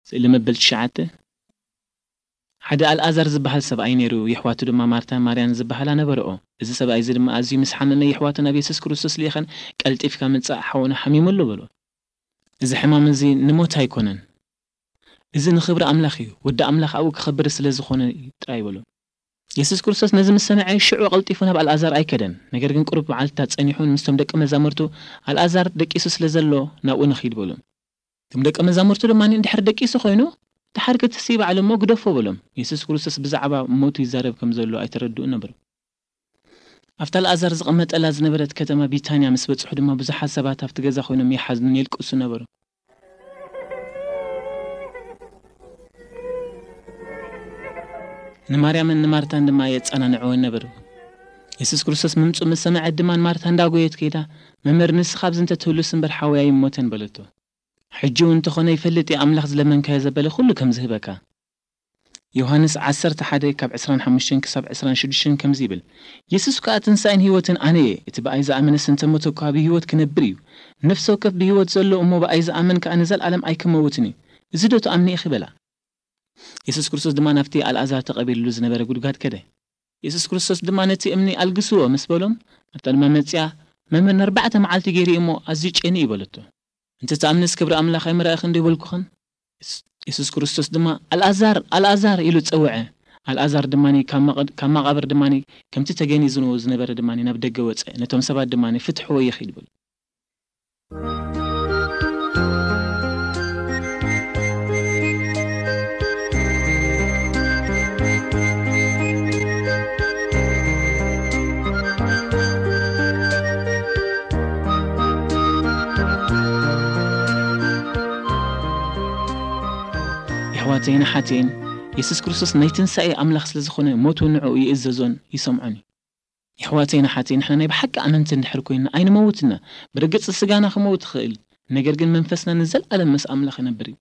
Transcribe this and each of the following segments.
ስእሊ መበል ትሽዓተ። ሓደ ኣልኣዛር ዝበሃል ሰብኣይ ነይሩ፣ የሕዋቱ ድማ ማርታን ማርያን ዝበሃላ ነበረኦ። እዚ ሰብኣይ እዚ ድማ ኣዝዩ ምስ ሓመመ፣ የሕዋቱ ናብ የሱስ ክርስቶስ ልኢኸን፣ "ቀልጢፍካ ምጻእ፣ ሓውና ሓሚሙ ኣሎ" በሎ። "እዚ ሕማም እዚ ንሞት ኣይኮነን። እዚ ንኽብሪ ኣምላኽ እዩ። ወዲ ኣምላኽ ኣብኡ ክኸብር ስለ ዝኾነ እዩ ጥራይ" በሎ። የሱስ ክርስቶስ ነዚ ምስ ሰምዐ፣ ሽዑ ቀልጢፉ ናብ ኣልኣዛር ኣይከደን። ነገር ግን ቁሩብ መዓልትታት ጸኒሑ፣ ምስቶም ደቂ መዛሙርቱ፣ "ኣልኣዛር ደቂሱ ስለ ዘሎ፣ ናብኡ ንኺድ" በሉ። እቶም ደቂ መዛሙርቱ ድማ፣ "እንድሕር ደቂሱ ኮይኑ፣ ደሓር ክትሲ ባዕሉ እሞ ግደፎ" በሎም። የሱስ ክርስቶስ ብዛዕባ ሞቱ ይዛረብ ከም ዘሎ ኣይተረድኡን ነበሩ። ኣብታ ኣልኣዛር ዝቐመጠላ ዝነበረት ከተማ ቢታንያ ምስ በጽሑ ድማ፣ ብዙሓት ሰባት ኣብቲ ገዛ ኮይኖም ይሓዝኑን የልቅሱ ነበሩ። ንማርያምን ንማርታን ድማ የጸናንዕወን ነበሩ። የሱስ ክርስቶስ ምምጽኡ ምስ ሰምዐት ድማ፣ ንማርታ እንዳጎየት ከይዳ፣ "መምህር፣ ንስኻ ኣብዚ እንተትህሉስ እምበር፣ ሓወይ ኣይሞተን" በለቶ። "ሕጂ እውን እንተኾነ ይፈልጥ እየ፣ ኣምላኽ ዝለመንካዮ ዘበለ ኩሉ ከም ዝህበካ።" ዮሃንስ ዓሰርተ ሓደ ካብ ዕስራን ሓሙሽተን ክሳብ ዕስራን ሽዱሽተን ከምዚ ይብል፣ "የሱስ ከኣ ትንሳኤን ህይወትን ኣነ እየ። እቲ ብኣይ ዝኣመነስ እንተ ሞተ እኳ ብህይወት ክነብር እዩ። ነፍሲ ወከፍ ብህይወት ዘሎ እሞ ብኣይ ዝኣምን ከኣ ንዘለኣለም ኣይክመውትን እዩ። እዚ ዶ ትኣምኒ ኢኺ?" በላ። የሱስ ክርስቶስ ድማ ናብቲ ኣልኣዛር ተቐቢርሉ ዝነበረ ጉድጓድ ከደ። የሱስ ክርስቶስ ድማ፣ "ነቲ እምኒ ኣልግስዎ" ምስ በሎም፣ ማርታ ድማ መጺኣ፣ "መምህር፣ ንኣርባዕተ መዓልቲ ገይሩ እዩ እሞ ኣዝዩ ጨንዩ እዩ" በለቶ። "እንተ ትኣምንስ ክብሪ ኣምላኽ ኣይምረኣኽን ዶ ይበልኩኽን?" የሱስ፣ የሱስ ክርስቶስ ድማ፣ "ኣልኣዛር፣ ኣልኣዛር" ኢሉ ጸውዐ። ኣልኣዛር ድማ ካብ መቐድ-፣ ካብ መቓብር ድማ ከምቲ ተገኒዝዎ ዝነበረ ድማ ናብ ደገ ወጸ። ነቶም ሰባት ድማ፣ "ፍትሕዎ ይኺድ" በሉ። የሕዋተይን ኣሓተይን፣ የሱስ ክርስቶስ ናይ ትንሳኤ ኣምላኽ ስለ ዝኾነ፣ ሞቱ ንዕኡ ይእዘዞን ይሰምዖን እዩ። የሕዋተይን ኣሓተይን፣ ንሕና ናይ ብሓቂ ኣመንቲ እንድሕር ኮይንና፣ ኣይንመውትና። ብርግጽ ስጋና ክመውት ይኽእል፣ ነገር ግን መንፈስና ንዘለኣለም ምስ ኣምላኽ ይነብር እዩ።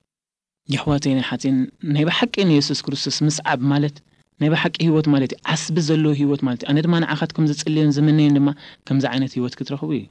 የሕዋተይን ኣሓተይን፣ ናይ ብሓቂ ንየሱስ ክርስቶስ ምስዓብ ማለት ናይ ብሓቂ ህይወት ማለት እዩ። ዓስቢ ዘለዎ ህይወት ማለት እዩ። ኣነ ድማ ንዓኻትኩም ዝጽልዮን ዝምነዮን ድማ ከምዚ ዓይነት ህይወት ክትረኽቡ እዩ።